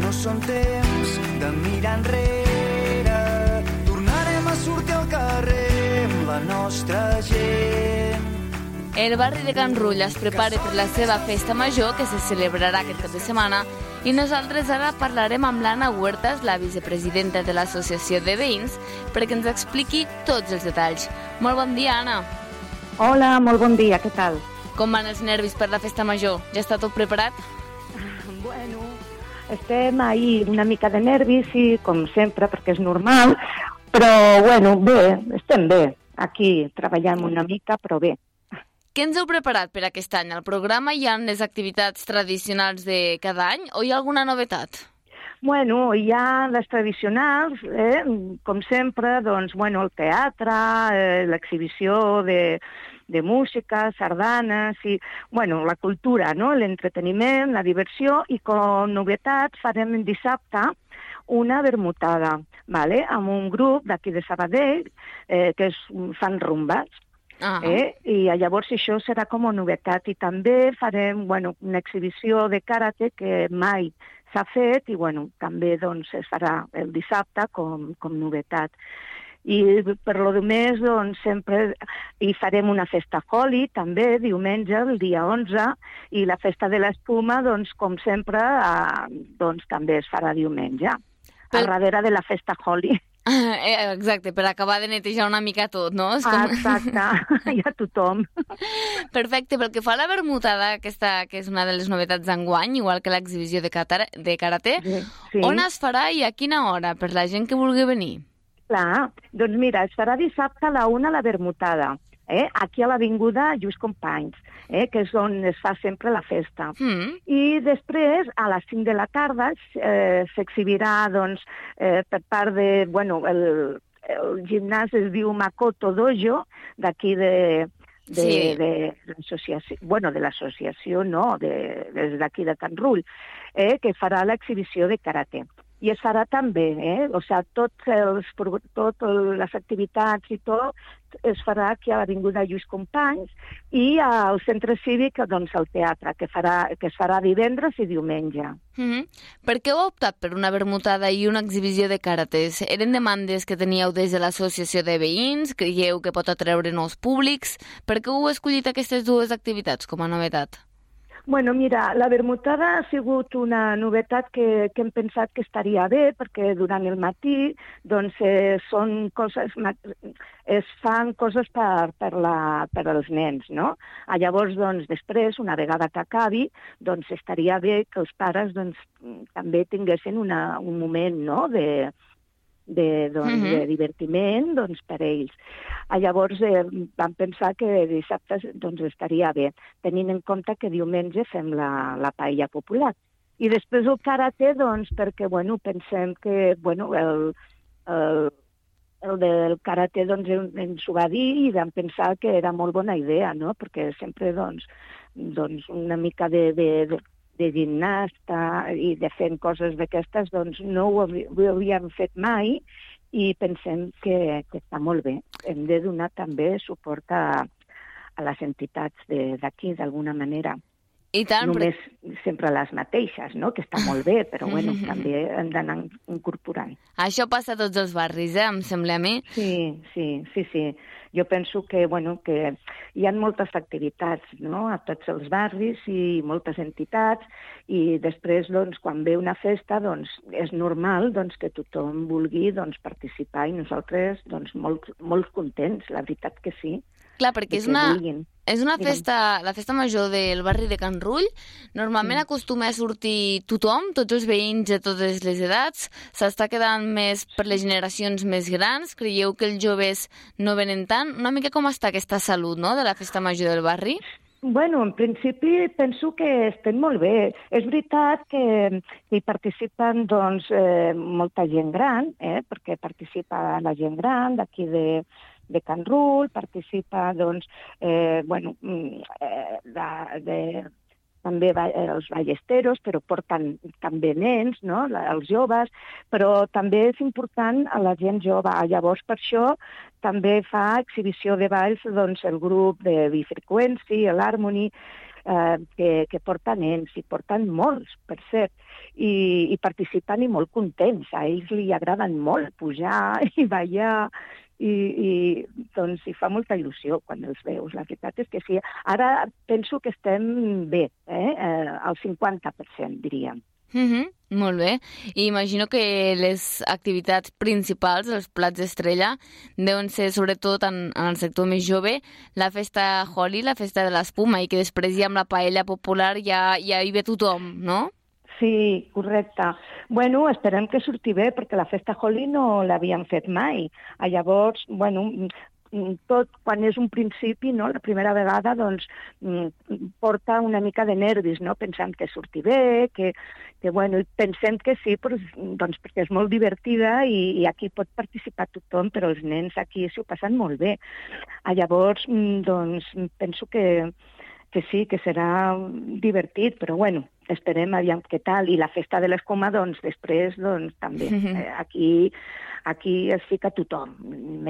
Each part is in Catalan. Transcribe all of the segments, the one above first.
no són temps de mirar enrere. Tornarem a sortir al carrer amb la nostra gent. El barri de Can Rull es prepara per la seva festa major, que se celebrarà aquest cap de setmana, i nosaltres ara parlarem amb l'Anna Huertas, la vicepresidenta de l'Associació de Veïns, perquè ens expliqui tots els detalls. Molt bon dia, Anna. Hola, molt bon dia, què tal? Com van els nervis per la festa major? Ja està tot preparat? Bueno, estem ahí una mica de nervis, i com sempre, perquè és normal, però, bueno, bé, estem bé. Aquí treballem una mica, però bé. Què ens heu preparat per aquest any? Al programa hi ha les activitats tradicionals de cada any o hi ha alguna novetat? Bueno, hi ha les tradicionals, com sempre, doncs, bueno, el teatre, l'exhibició de música, sardanes, i, bueno, la cultura, no?, l'entreteniment, la diversió, i com novetat farem dissabte una vermutada, ¿vale?, amb un grup d'aquí de Sabadell que fan rumbes. I llavors això serà com a novetat, i també farem, bueno, una exhibició de karate que mai s'ha fet, i bueno, també doncs es farà el dissabte com novetat. I per lo demés, doncs, sempre hi farem una festa Holi, també, diumenge, el dia 11, i la festa de l'espuma, doncs, com sempre, doncs també es farà diumenge, a darrere de la festa Holi. Exacte, per acabar de netejar una mica tot, no? Exacte, hi ha tothom. Perfecte, pel que fa a la vermutada, aquesta que és una de les novetats d'enguany, igual que l'exhibició de karate, sí. On es farà i a quina hora, per la gent que vulgui venir? Clar, doncs mira, es farà dissabte a la 1 la vermutada, aquí a l'Avinguda Lluís Companys, que és on es fa sempre la festa. I després, a les 5 de la tarda, s'exhibirà, doncs, per part de, bueno, el gimnàs es diu Makoto Dojo, d'aquí de l'associació, bueno, de l'associació no, des d'aquí de Can Rull, que farà l'exhibició de karate. I es farà també, o sigui, totes les activitats i tot es farà aquí a l'Avinguda Lluís Companys, i al centre cívic, doncs, al teatre, que es farà divendres i diumenge. Per què heu optat per una vermutada i una exhibició de karates? Eren demandes que teníeu des de l'associació de veïns? Creieu que pot atreure nous públics? Per què heu escollit aquestes dues activitats com a novetat? Bueno, mira, la vermutada ha sigut una novetat que hem pensat que estaria bé, perquè durant el matí doncs, es fan coses per als nens, no? Llavors, doncs, després, una vegada que acabi, doncs estaria bé que els pares doncs, també tinguessin un moment, no?, de divertiment, doncs, per ells. Llavors vam pensar que dissabte doncs, estaria bé, tenint en compte que diumenge fem la paella popular. I després el karate, doncs, perquè, bueno, pensem que, bueno, el del karate, doncs, ens ho va dir i vam pensar que era molt bona idea, no?, perquè sempre, doncs una mica de gimnasta i de fent coses d'aquestes, doncs no ho havíem fet mai, i pensem que està molt bé. Hem de donar també suport a les entitats d'aquí, d'alguna manera. I tant, només sempre les mateixes, no?, que està molt bé, però bueno, també hem d'anar incorporant. Això passa a tots els barris, em sembla a mi. Sí. Jo penso que, bueno, que hi ha moltes activitats, no?, a tots els barris i moltes entitats, i després, doncs, quan ve una festa, doncs, és normal, doncs, que tothom vulgui, doncs, participar, i nosaltres, doncs, molt contents, la veritat que sí. Clar, perquè és una festa, la festa major del barri de Can Rull. Normalment acostuma a sortir tothom, tots els veïns de totes les edats. S'està quedant més per les generacions més grans. Creieu que els joves no venen tant? Una mica com està aquesta salut, no?, de la festa major del barri? Bueno, en principi penso que estem molt bé. És veritat que hi participen, doncs, molta gent gran, perquè participa la gent gran d'aquí de Can Rull, participa, doncs, també els ballesteros, però porten també nens, no?, els joves, però també és important a la gent jove. Llavors, per això, també fa exhibició de balls, doncs, el grup de Bifreqüency, l'Harmony, que porta nens, i porten molts, per cert, i participen i molt contents. A ells li agraden molt pujar i ballar, i doncs hi fa molta il·lusió quan els veus. La veritat és que sí. Ara penso que estem bé, al 50%, diríem. Molt bé. I imagino que les activitats principals, els plats estrella, deuen ser sobretot en el sector més jove, la festa Holi, la festa de l'espuma, i que després ja amb la paella popular ja hi ve tothom, no? Sí, correcte. Bueno, esperem que surti bé, perquè la festa Holi no l'havíem fet mai. Llavors, bueno, tot quan és un principi, no? La primera vegada, doncs, porta una mica de nervis, no? Pensem que surti bé, que bueno, pensem que sí, doncs, perquè és molt divertida i aquí pot participar tothom, però els nens aquí s'ho passen molt bé. Llavors, doncs, penso que sí, que serà divertit, però bueno, esperem aviam què tal. I la festa de l'escuma, doncs, després, doncs, també. Aquí es fica tothom,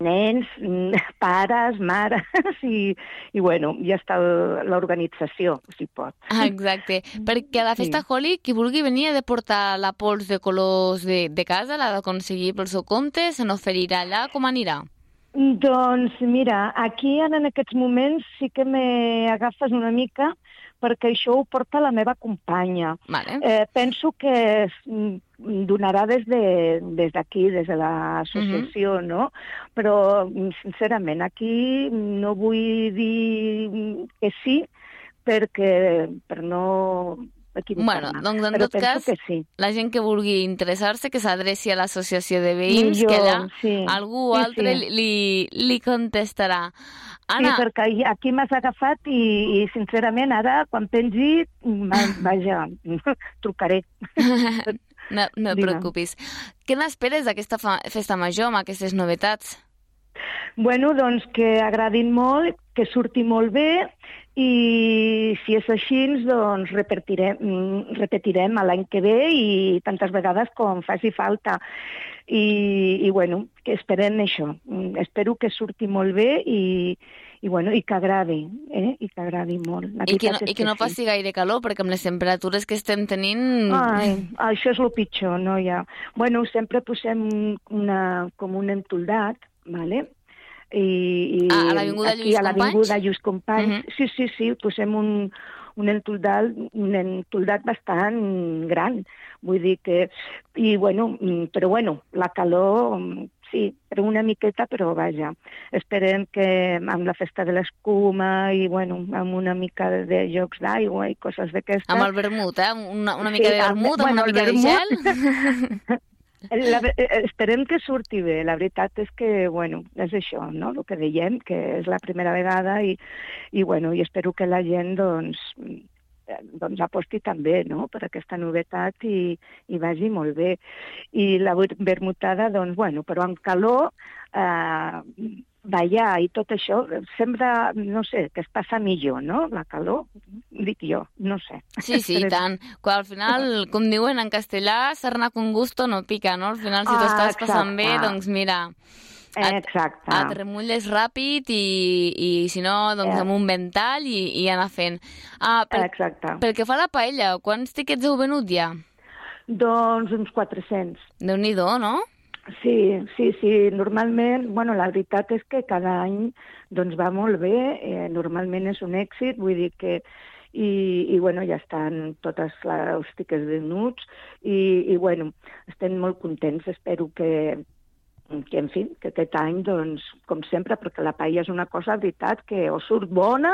nens, pares, mares, i bueno, ja està l'organització, si pot. Exacte, perquè a la festa Holi, qui vulgui venir ha de portar la pols de colors de casa, l'ha d'aconseguir pel seu compte, se n'oferirà allà, com anirà? Doncs mira, aquí en aquests moments sí que m'agafes una mica, perquè això ho porta la meva companya. Vale. Penso que donarà des d'aquí, des de l'associació, no? Però, sincerament, aquí no vull dir que sí, per no equivocar-me. Bueno, doncs en tot cas, sí. La gent que vulgui interessar-se, que s'adreci a l'associació de veïns, que allà algú altre li contestarà. Anna... Sí, perquè aquí m'has agafat i sincerament, ara, quan pengi, vaja, trucaré. No et preocupis. Què n'esperes d'aquesta festa major, amb aquestes novetats? Bueno, doncs que agradin molt, que surti molt bé, i si és així, doncs repetirem l'any que ve i tantes vegades com faci falta. I bueno, que esperem això. Espero que surti molt bé i que agradi, i que agradi molt. I que no faci gaire calor, perquè amb les temperatures que estem tenint... Ai, això és el pitjor, no hi ha... Bueno, sempre posem com un entoldat, vale? A l'Avinguda Lluís Companys? A l'Avinguda Lluís Companys, sí, posem un entoldat bastant gran, vull dir que... Però bueno, la calor, sí, però una miqueta, però vaja, esperem que amb la festa de l'escuma i, bueno, amb una mica de jocs d'aigua i coses d'aquestes... Amb el vermut, una mica de vermut, amb una mica de gel... Esperem que surti bé. La veritat és que, bueno, és això, no?, el que dèiem, que és la primera vegada i espero que la gent, doncs aposti també, no?, per aquesta novetat i vagi molt bé. I la vermutada, doncs, bueno, però amb calor, ballar i tot això, sembla, no sé, que es passa millor, no?, la calor, dic jo, no sé. Sí, i tant. Quan al final, com diuen en castellà, sarna con gusto no pica, no? Al final, si t'ho estàs passant bé, doncs mira... Exacte. Et remulles ràpid i si no, doncs amb un ventall i anar fent. Exacte. Pel que fa a la paella, quants tiquets heu venut ja? Doncs uns 400. Déu-n'hi-do, no? Sí, normalment, bueno, la veritat és que cada any doncs va molt bé, normalment és un èxit, vull dir que i bueno, ja estan totes els tiquets venuts i bueno, estem molt contents, espero que en fi, que aquest any, doncs, com sempre, perquè la paella és una cosa, veritat, que o surt bona,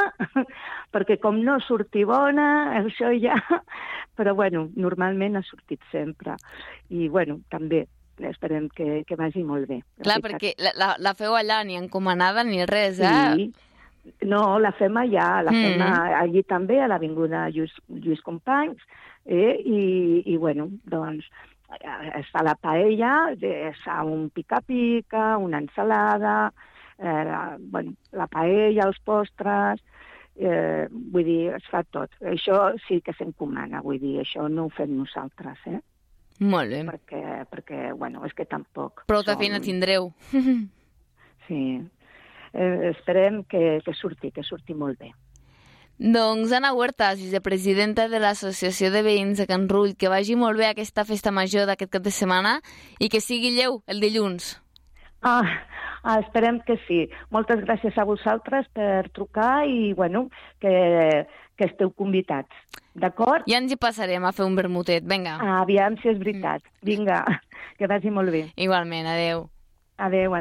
perquè com no surti bona, això ja... Però, bueno, normalment ha sortit sempre. I, bueno, també esperem que vagi molt bé. Clar, perquè la feu allà ni encomanada ni res, Sí. No, la fem allà, fem allí també, a l'Avinguda Lluís Companys, i, bueno, doncs, es fa la paella, es fa un pica-pica, una ensalada, la paella, els postres, vull dir, es fa tot. Això sí que s'encomana, vull dir, això no ho fem nosaltres, Molt bé. Perquè, bueno, és que tampoc... Prou de feina tindreu. Sí. Esperem que surti molt bé. Doncs Anna Huertas, vicepresidenta de l'Associació de Veïns de Can Rull, que vagi molt bé aquesta festa major d'aquest cap de setmana i que sigui lleu el dilluns. Esperem que sí. Moltes gràcies a vosaltres per trucar i, bueno, que esteu convidats. D'acord? Ja ens hi passarem a fer un vermutet. Vinga. Aviam si és veritat. Vinga, que vagi molt bé. Igualment, adeu. Adeu.